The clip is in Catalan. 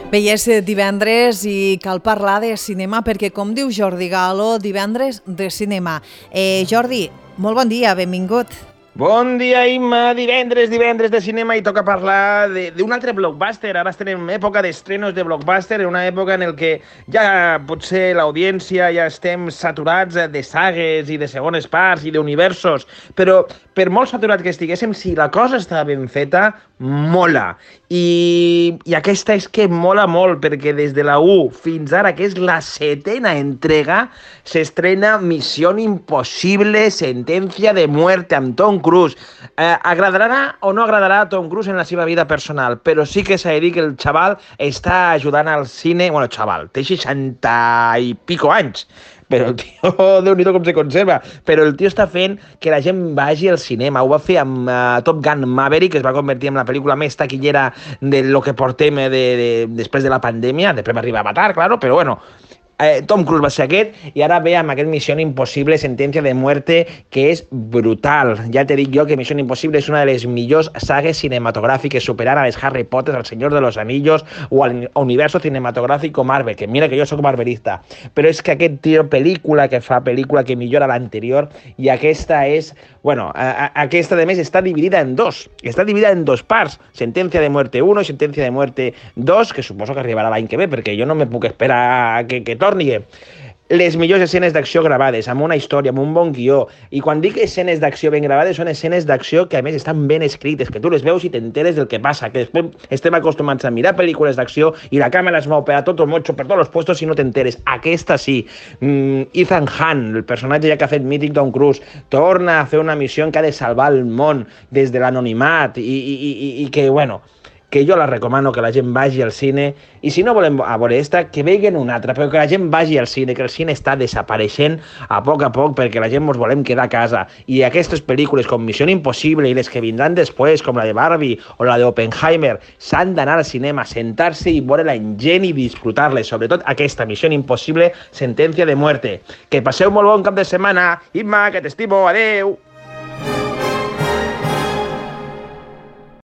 Bé, és divendres i cal parlar de cinema perquè, com diu Jordi Galo, divendres de cinema. Jordi, molt bon dia, benvingut. Bon dia, Imma. Divendres de cinema i toca parlar d'un altre blockbuster. Ara estem en època d'estrenos de blockbuster, en una època en què ja potser l'audiència ja estem saturats de sagues i de segones parts i d'universos, però per molt saturat que estiguéssim, si la cosa està ben feta, mola. I aquesta és que mola molt, perquè des de la 1 fins ara, que és la 7ª entrega, s'estrena Missió Impossible, Sentencia de Muerte, amb Tom Cruise. Agradarà o no agradarà a Tom Cruise en la seva vida personal, però sí que s'ha de dir que el xaval està ajudant al cine... Bueno, xaval, té 60 i pico anys, però el tio, Déu-n'hi-do com se conserva, però el tio està fent que la gent vagi al cinema. Ho va fer amb Top Gun Maverick, que es va convertir en la pel·lícula més taquillera de lo que portem després de la pandèmia. Després va arribar a matar, claro, però bueno... Tom Cruise va ser aquest, i ara ve amb aquest Missió Impossible, Sentencia de Muerte, que és brutal. Ja te dic jo que Missió Impossible és una de les millors sagues cinematogràfiques, superant a les Harry Potter, al Señor de los Anillos o al universo cinematográfico Marvel, que mira que jo sóc marvelista, però és que aquest tio, pel·lícula que millora l'anterior, i aquesta és... Bueno, aquesta, de més, està dividida en dos. Està dividida en dos parts. Sentencia de Muerte 1 i Sentencia de Muerte 2, que suposo que arribarà l'any que ve, perquè jo no me puc esperar que torni. Les millors escenes d'acció gravades, amb una història, amb un bon guió. I quan dic escenes d'acció ben gravades, són escenes d'acció que, a més, estan ben escrites, que tu les veus i t'enteres del que passa, que després estem acostumats a mirar pel·lícules d'acció i la càmera es mou per a tot el motxo, per tots els puestos, i no t'enteres. Aquesta sí. Ethan Hunt, el personatge ja que ha fet mític Tom Cruise, torna a fer una missió en què ha de salvar el món des de l'anonimat i que, bueno... que jo la recomano que la gent vagi al cine, i si no volem a veure esta, que veguen una altra, però que la gent vagi al cine, que el cine està desapareixent a poc perquè la gent ens volem quedar a casa, i aquestes pel·lícules com Missió Impossible i les que vindran després, com la de Barbie o la de Oppenheimer, s'han d'anar al cinema, sentar-se i veure la gent i disfrutar-les, sobretot aquesta Missió Impossible, Sentencia de Muerte. Que passeu molt bon cap de setmana. Imma, que t'estimo, adeu!